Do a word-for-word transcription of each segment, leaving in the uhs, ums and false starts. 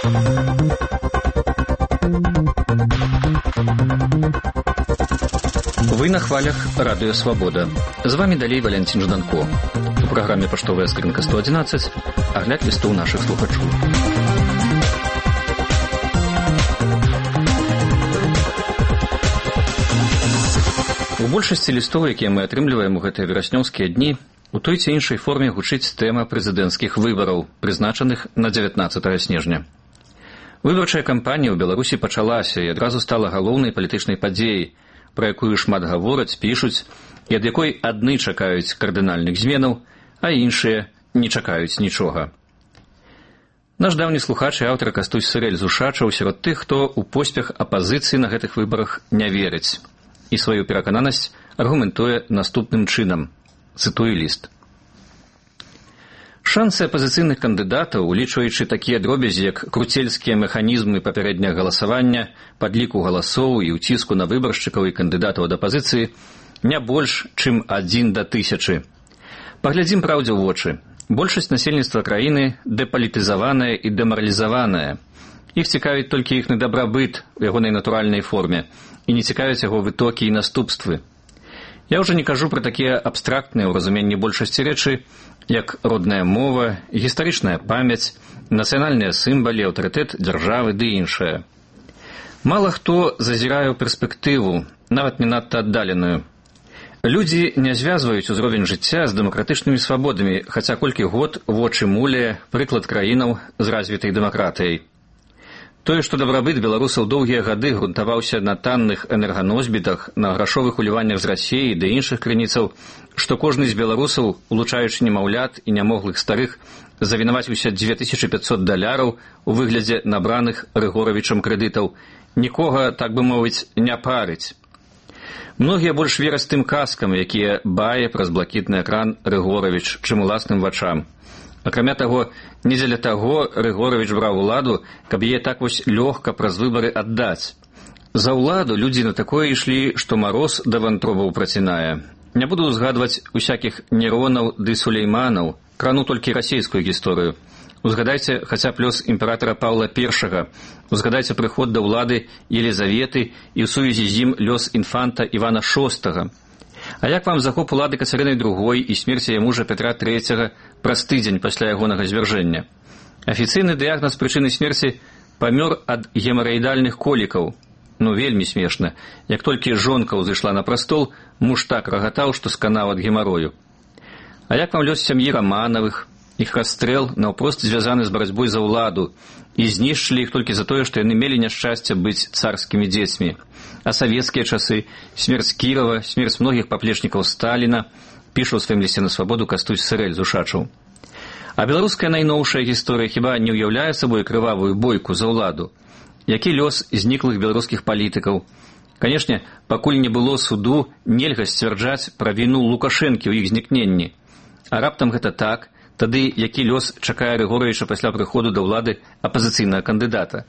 Вы на хвалях Радио Свобода. З вами далей Валентин Жданко. У праграме «Паштовая скрынка сто одиннадцать» агляд лістоў нашых слухачоў. У большасці лістоў, якія мы атрымліваем у гэтыя вераснёўскія дні, у той ці іншай форме гучыць тэма прэзідэнцкіх выбараў, прызначаных на дзевятнаццатага снежня. Выбарчая кампанія ў Беларусі пачалася і адразу стала галоўнай палітычнай падзеяй, пра якую шмат гавораць, пішуць, і ад якой адны чакаюць кардынальных зменаў, а іншыя не чакаюць нічога. Наш даўні слухач і аўтар Кастусь Сырэль з Ушачаў сярод тых, хто ў поспех апазіцыі на гэтых выбарах не верыць, і сваю перакананасць аргументуе наступным чынам. Цытую ліст. Шансы апазіцыйных кандыдатаў, улічваючы такія дробязі, як круцельскія механізмы папярэдняга галасавання, падліку галасоў і ўціску на выбаршчыкаў і кандыдатаў ад апазіцыі, не больш, чым адзін да тысячы. Паглядзім праўдзе ў вочы. Большасць насельніцтва краіны дэпалітызаваная і дэмаралізаваная. Іх цікавіць толькі іхны дабрабыт у ягонай натуральнай форме, і не цікавяць яго вытокі і наступствы. Я ўжо не кажу пра такія абстрактныя ў разуменні большасці рэчы, як родная мова, гістарычная памяць, нацыянальныя сімвалы, аўтарытэт дзяржавы ды іншае. Мала хто зазірае ў перспектыву, нават не надта аддаленую. Людзі не звязваюць узровень жыцця з дэмакратычнымі свабодамі, хаця колькі год вочы муляе прыклад краінаў з развітай дэмакратыяй. Тое, што дабрабыт беларусаў доўгія гады грунтаваўся на танных энерганосьбітах, на грашовых уліваннях з Расіі ды іншых крыніцаў, што кожны з беларусаў, улучаючы немаўлят і нямоглых старых, завінаваціўся дзве тысячы пяцьсот даляраў у выглядзе набраных Рыгоравічам крэдытаў, нікога, так бы мовіць, не парыць. Многія больш вераць тым казкам, якія бае праз блакітны экран Рыгоравіч, чым уласным вачам. Акрамя таго, не дзеля таго Рыгоравіч браў уладу, каб яе так вось лёгка праз выбары аддаць. За ўладу людзі на такое ішлі, што мароз да вантробаў працінае. Не буду узгадваць усякіх Неронаў ды Сулейманаў, крану толькі расійскую гісторыю. Узгадайце хаця б лёс імператара Паўла Першага, узгадайце прыход да ўлады Елізаветы і ў сувязі з ім лёс інфанта Івана Шостага. А як вам захоп улады Кацярыны Другой і смерць яе мужа Петра Трэцяга праз тыдзень пасля ягонага звяржэння? Афіцыйны дыягназ прычыны смерці – памёр ад гемараідальных колікаў. Ну, вельмі смешна. Як толькі жонка ўзышла на прастол, муж так рагатаў, што сканаў ад гемарою. А як вам лёс сям'і Раманавых? Іх расстрэл наўпрост звязаны з барацьбой за ўладу, і знішчылі іх толькі за тое, што яны мелі няшчасце быць царскімі дзецьмі. А савецкія часы, смерць Кірова, смерць многіх паплечнікаў Сталіна, піша ў сваім лісце на свабоду Кастусь Сырэль з Ушачаў. А беларуская найноўшая гісторыя хіба не ўяўляе сабой крывавую бойку за ўладу? Які лёс зніклых беларускіх палітыкаў? Канешне, пакуль не было суду, нельга сцвярджаць пра віну Лукашэнкі ў іх знікненні. А раптам гэта так, тады які лёс чакае Рыгоравіча пасля прыходу да ўлады апазіцыйнага кандыдата?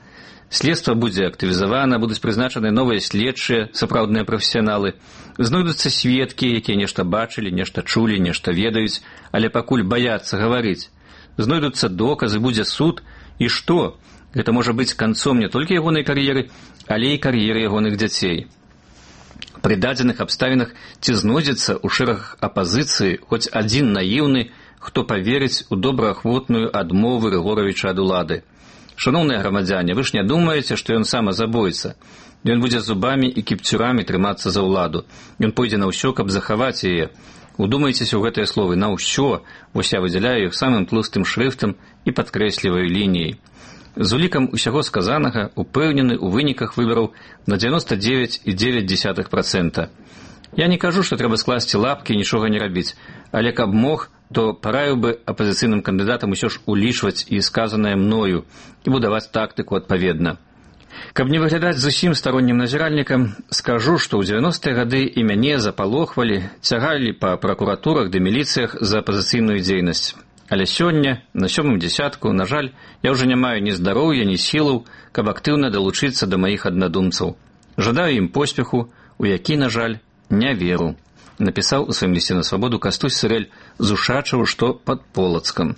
Следства будзе актывізавана, будуць прызначаны новыя следчыя, сапраўдныя прафесіяналы. Знойдуцца сведкі, якія нешта бачылі, нешта чулі, нешта ведаюць, але пакуль баяцца гаварыць. Знойдуцца доказы, будзе суд, і што? Гэта можа быць канцом не толькі ягонай кар'еры, але і кар'еры ягоных дзяцей. Пры дадзеных абставінах ці знойдзецца ў шэрагах апазіцыі хоць адзін наіўны, хто паверыць у добраахвотную адмову Рыгоравіча ад улады. Шаноўныя грамадзяне, вы ж не думаеце, што ён сам забойца. Ён будзе зубамі і кіпцюрамі трымацца за ўладу. Ён пойдзе на ўсё, каб захаваць яе. Удумайцеся ў гэтыя словы на ўсё, вось я выдзяляю іх самым тлустым шрыфтам і падкрэсліваю лініяй. З улікам усяго сказанага упэўнены ў выніках выбараў на дзевяноста дзевяць і дзевяць дзесятых працэнта. Я не кажу, што трэба скласці лапкі і нічога не рабіць, але каб мог, то параіў бы апазіцыйным кандыдатам усё ж улічваць і сказанае мною і будаваць тактыку адпаведна. Каб не выглядаць зусім староннім назіральнікам, скажу, што ў дзевяностыя гады і мяне запалохвалі, цягалі па пракуратурах ды міліцыях за апазіцыйную дзейнасць. Але сёння, на сёмым дзясятку, на жаль, я ўжо не маю ні здароўя, ні сілаў, каб актыўна далучыцца да маіх аднадумцаў. Жадаю ім поспеху, у які, на жаль, не веру. Напісаў у сваім лісце на свабоду Кастусь Сырэль з Ушачаў, што пад Полацкам.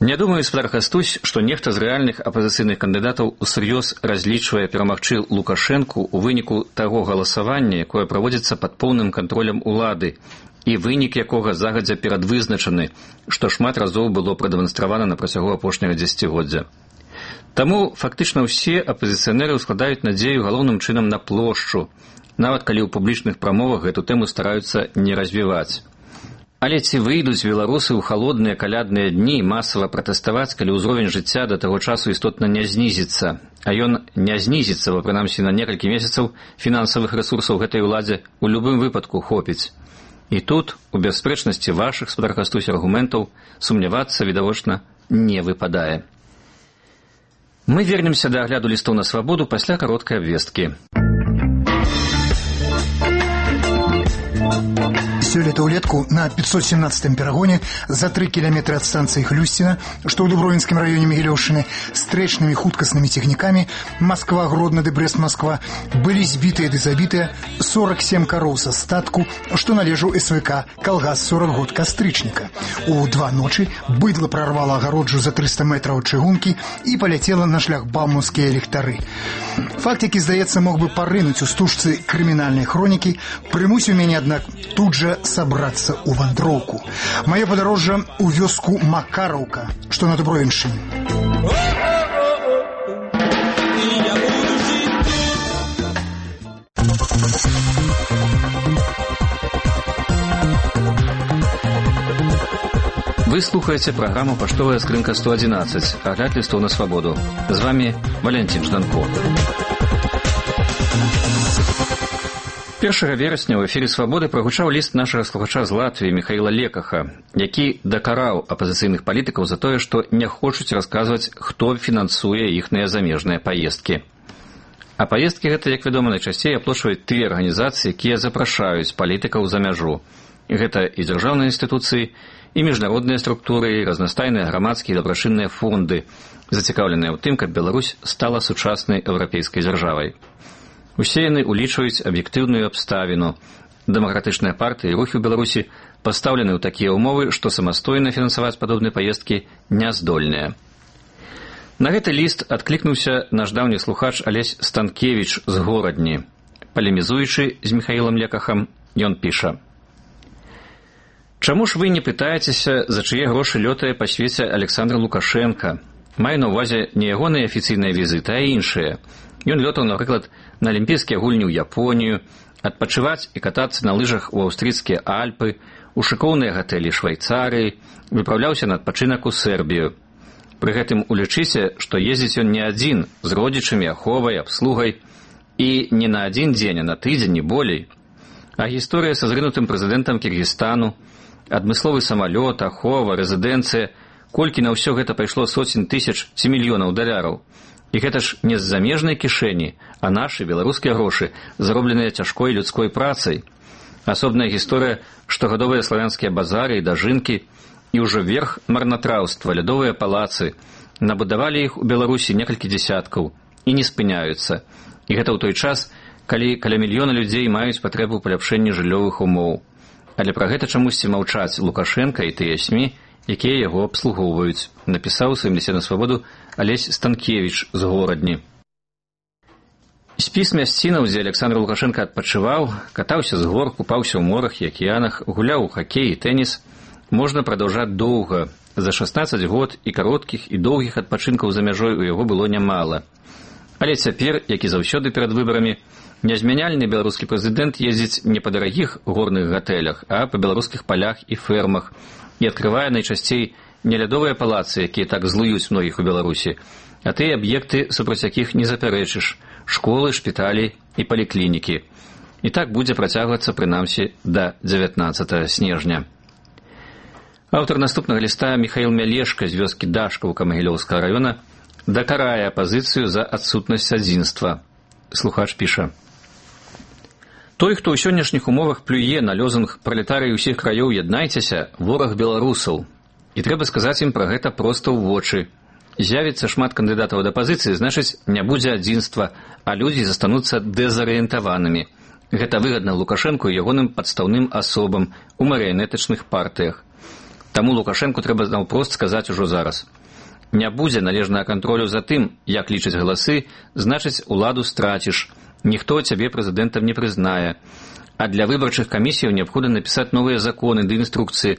Не думаю, спадар Кастусь, што нехта з рэальных апазіцыйных кандыдатаў усур'ёз разлічвае перамагчы Лукашэнку ў выніку таго галасавання, якое праводзіцца пад поўным кантролем улады, і вынік якога загадзя перадвызначаны, што шмат разоў было прадэманстравана на працягу апошняга дзесяцігоддзя. Таму фактычна ўсе апазіцыянеры складаюць надзею галоўным чынам на плошчу, нават калі ў публічных прамовах гэту тэму стараюцца не развіваць. Але ці выйдуць беларусы ў халодныя калядныя дні масава пратэставаць, калі ўзровень жыцця да таго часу істотна не знізіцца, а ён не знізіцца, бо прынамсі на некалькі месяцаў фінансавых рэсурсаў гэтай уладзе ў любым выпадку хопіць. І тут, у бясспрэчнасці вашых, спадар Кастусь, аргументаў, сумнявацца, відавочна, не выпадае. Мы вернемся да агляду лістоў на свабоду пасля кароткай абвесткі. Сёлета ўлетку на пятьсот семнадцатым перагоне за три кіламетры ад станцыі Хлюсціна, што ў Дубровінскім раёне Магілёўшчыны, стрэчнымі хуткаснымі цягнікамі Москва-Гродно ды Брест-Москва былі збітыя ды забітыя сорок семь кароў са статку, што належаў эс вэ ка «Калгас сорок год кастрычніка». У два ночы быдла прарвала агароджу за триста метраў чыгункі і паляцела на шляхбаумаўскія ліхтары. Факт, які, здаецца, мог бы парынуць у стужцы крымінальнай хронікі, прымусіў мяне, аднак, тут жа сабрацца ў вандроўку. Маё падарожжа ў вёску Макараўка, што на Дубровіншчыне. Вы слухаеце праграму «Паштовая скрынка сто одиннадцать», агляд лістоў на свабоду. З вами Валентин Жданко. першага верасня ў эфіры «Свабоды» прагучаў ліст нашага слухача з Латвіі Міхаіла Лекаха, які дакараў апазіцыйных палітыкаў за тое, што не хочуць расказваць, хто фінансуе іхныя замежныя паездкі. А паездкі гэта, як вядома, найчасцей аплачваюць тыя арганізацыі, якія запрашаюць палітыкаў за мяжу. Гэта і дзяржаўныя інстытуцыі, і міжнародныя структуры, і разнастайныя грамадскія і дабрачынныя фонды, зацікаўленыя ў тым, каб Беларусь стала сучаснай еўрапейскай дзяржавай. Усе яны улічваюць аб'ектыўную абставіну. Дэмакратычныя партыі і рухі ў Беларусі пастаўлены ў такія ўмовы, што самастойна фінансаваць падобныя паездкі не здольныя. На гэты ліст адклікнуўся наш даўні слухач Алесь Станкевіч з Горадні. Палемізуючы з Міхаілам Лекахам, ён піша: «Чаму ж вы не пытаецеся, за чые грошы лётае па свеце Александр Лукашенко? Маю на ўвазе не ягоныя афіцыйныя візіты, а іншыя. Ён лётаў, напрыклад, на алімпійскія гульні ў Японію, адпачываць і катацца на лыжах у аўстрыйскія Альпы, у шыкоўныя гатэлі Швайцарыі, выпраўляўся на адпачынак у Сербію. Пры гэтым улічыце, што ездзіць ён не адзін, з родзічамі, аховай, абслугай, і не на адзін дзень, а на тыдзень, не болей. А гісторыя са зрынутым прэзідэнтам Кіргізстану, адмысловы самалёт, ахова, рэзідэнцыя, колькі на ўсё гэта пайшло соцень тысяч ці мільёнаў даляраў. І гэта ж не з замежнай кішэні, а нашы беларускія грошы, заробленыя цяжкой людской працай. Асобная гісторыя штогадовыя славянскія базары і дажынкі, і ўжо верх марнатраўства, лядовыя палацы. Набудавалі іх у Беларусі некалькі дзесяткаў і не спыняюцца. І гэта ў той час, калі каля мільёна людзей маюць патрэбу ў паляпшэнні жыллёвых умоў. Але пра гэта чамусьці маўчаць Лукашенка і тыя СМІ, якія яго абслугоўваюць, напісаў у сваім лісце на свабоду Алесь Станкевіч з Горадні. Спіс мясцінаў, дзе Александр Лукашенко адпачываў, катаўся з гор, купаўся ў морах і акіянах, гуляў у хакей і тэніс, можна прадаўжаць доўга. За шаснаццаць год і кароткіх, і доўгіх адпачынкаў за мяжой у яго было нямала. Але цяпер, як і заўсёды перад выбарамі, нязмяняльны беларускі прэзідэнт ездзіць не па дарагіх горных гатэлях, а па беларускіх палях і фермах, і адкрывае найчасцей не лядовыя палацы, якія так злуюць многіх у Беларусі, а тыя аб'екты, супраць якіх не запярэчыш – школы, шпіталі і паліклінікі. І так будзе працягвацца прынамсі да дзевятнаццатага снежня. Аўтар наступнага ліста Міхаіл Мялешка з вёскі Дашкаўка Магілёўскага раёна дакарае апазіцыю за адсутнасць адзінства. Слухач піша: «Той, хто ў сённяшніх умовах плюе на лозунг «Пралетарыі ўсіх краёў, яднайцеся», вораг беларусаў. І трэба сказаць ім пра гэта проста ў вочы. З'явіцца шмат кандыдатаў ад апазіцыі, значыць, не будзе адзінства, а людзі застануцца дэзарыентаванымі. Гэта выгадна Лукашэнку і ягоным падстаўным асобам у марыянетачных партыях. Таму Лукашэнку трэба наўпрост сказаць ужо зараз. Не будзе належнага кантролю за тым, як лічаць галасы, значыць, уладу страціш. Ніхто цябе прэзідэнтам не прызнае. А для выбарчых камісіяў неабходна напісаць новыя законы ды інструкцыі,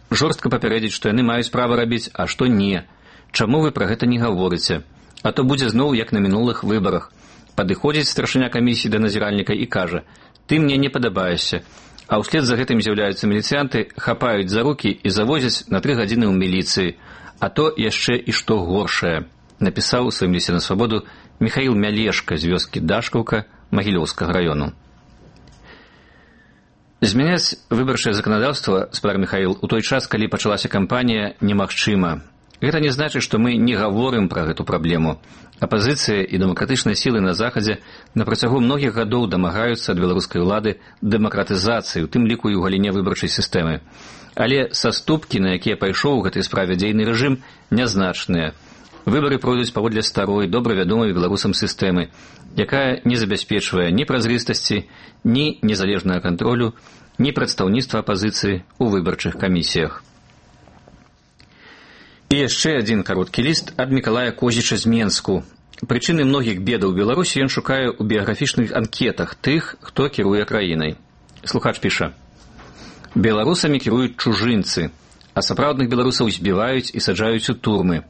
жорстка папярэдзіць, што яны маюць права рабіць, а што не. Чаму вы пра гэта не гаворыце? А то будзе зноў, як на мінулых выбарах. Падыходзіць старшыня камісіі да назіральніка і кажа: «Ты мне не падабаешся». А ўслед за гэтым з'яўляюцца міліцыянты, хапаюць за рукі і завозяць на тры гадзіны ў міліцыі. А то яшчэ і што горшае, напісаў у сваім лісце на свабоду Міхаіл Мялешка з вёскі Дашкаўка Магілёўскага раёну. Змяняць выбарчае заканадаўства, спадар Міхаіл, у той час, калі пачалася кампанія, немагчыма. Гэта не значыць, што мы не гаворым пра гэту праблему. Апазіцыя і дэмакратычныя сілы на Захадзе на працягу многіх гадоў дамагаюцца ад беларускай улады дэмакратызацыі, у тым ліку і ў галіне выбарчай сістэмы. Але саступкі, на якія пайшоў у гэтай справе дзейны рэжым, нязначныя. Выбары пройдуць паводле старой, добра вядомай беларусам сістэмы, якая не забяспечвае ні празрыстасці, ні незалежнага кантролю, ні прадстаўніцтва апазіцыі ў выбарчых камісіях. І яшчэ адзін кароткі ліст ад Мікалая Козіча з Менску. Прычыны многіх бедаў Беларусі ён шукае ў біяграфічных анкетах тых, хто кіруе краінай. Слухач піша: «Беларусамі кіруюць чужынцы, а сапраўдных беларусаў збіваюць і саджаюць у турмы.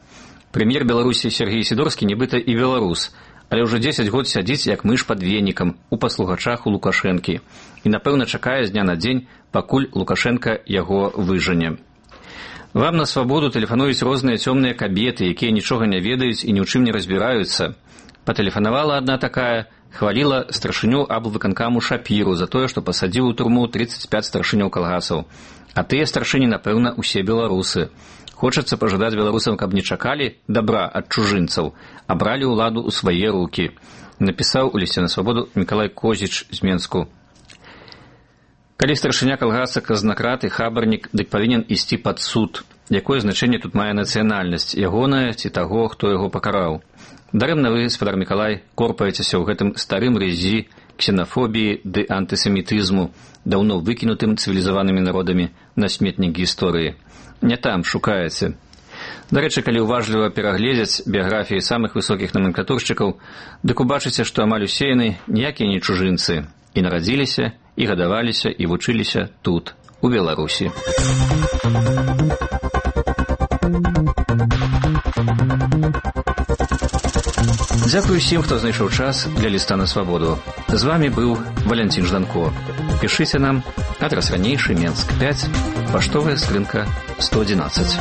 Прэм'ер Беларусі Сергей Сідорскі нібыта і беларус, але ўжо дзесяць год сядзіць як мыш пад венікам у паслугачах у Лукашэнкі і, напэўна, чакае з дня на дзень, пакуль Лукашэнка яго выжане. Вам на свабоду тэлефануюць розныя цёмныя кабеты, якія нічога не ведаюць і ні ў чым не разбіраюцца. Патэлефанавала адна такая, хваліла старшыню аблвыканкаму Шапіру за тое, што пасадзіў у турму трыццаць пяць старшыняў калгасаў. А тыя старшыні, напэўна, усе беларусы. Хочацца пажадаць беларусам, каб не чакалі дабра ад чужынцаў, а бралі ўладу ў свае рукі», напісаў у лісце на свабоду Мікалай Козіч з Менску. Калі старшыня калгаса казнакрат і хабарнік, дык павінен ісці пад суд. Якое значэнне тут мае нацыянальнасць, ягоная ці таго, хто яго пакараў? Дарэмна вы, спадар Мікалай, корпаецеся ў гэтым старым рэзі ксенафобіі ды антысемітызму, даўно выкінутым цывілізаванымі народамі на сметнік гісторыі. Не там шукаеце. Дарэчы, калі ўважліва перагледзяць біяграфіі самых высокіх номенклатуршчыкаў, дык убачыце, што амаль усе яны ніякія не чужынцы, і нарадзіліся, і гадаваліся, і вучыліся тут, у Беларусі. Дзякую всім, хто знайшоў час для ліста на свабоду. З вами быў Валянцін Жданко. Пішыце нам, адрас ранейшы, Менск пяць, паштовая скрынка сто адзінаццаць.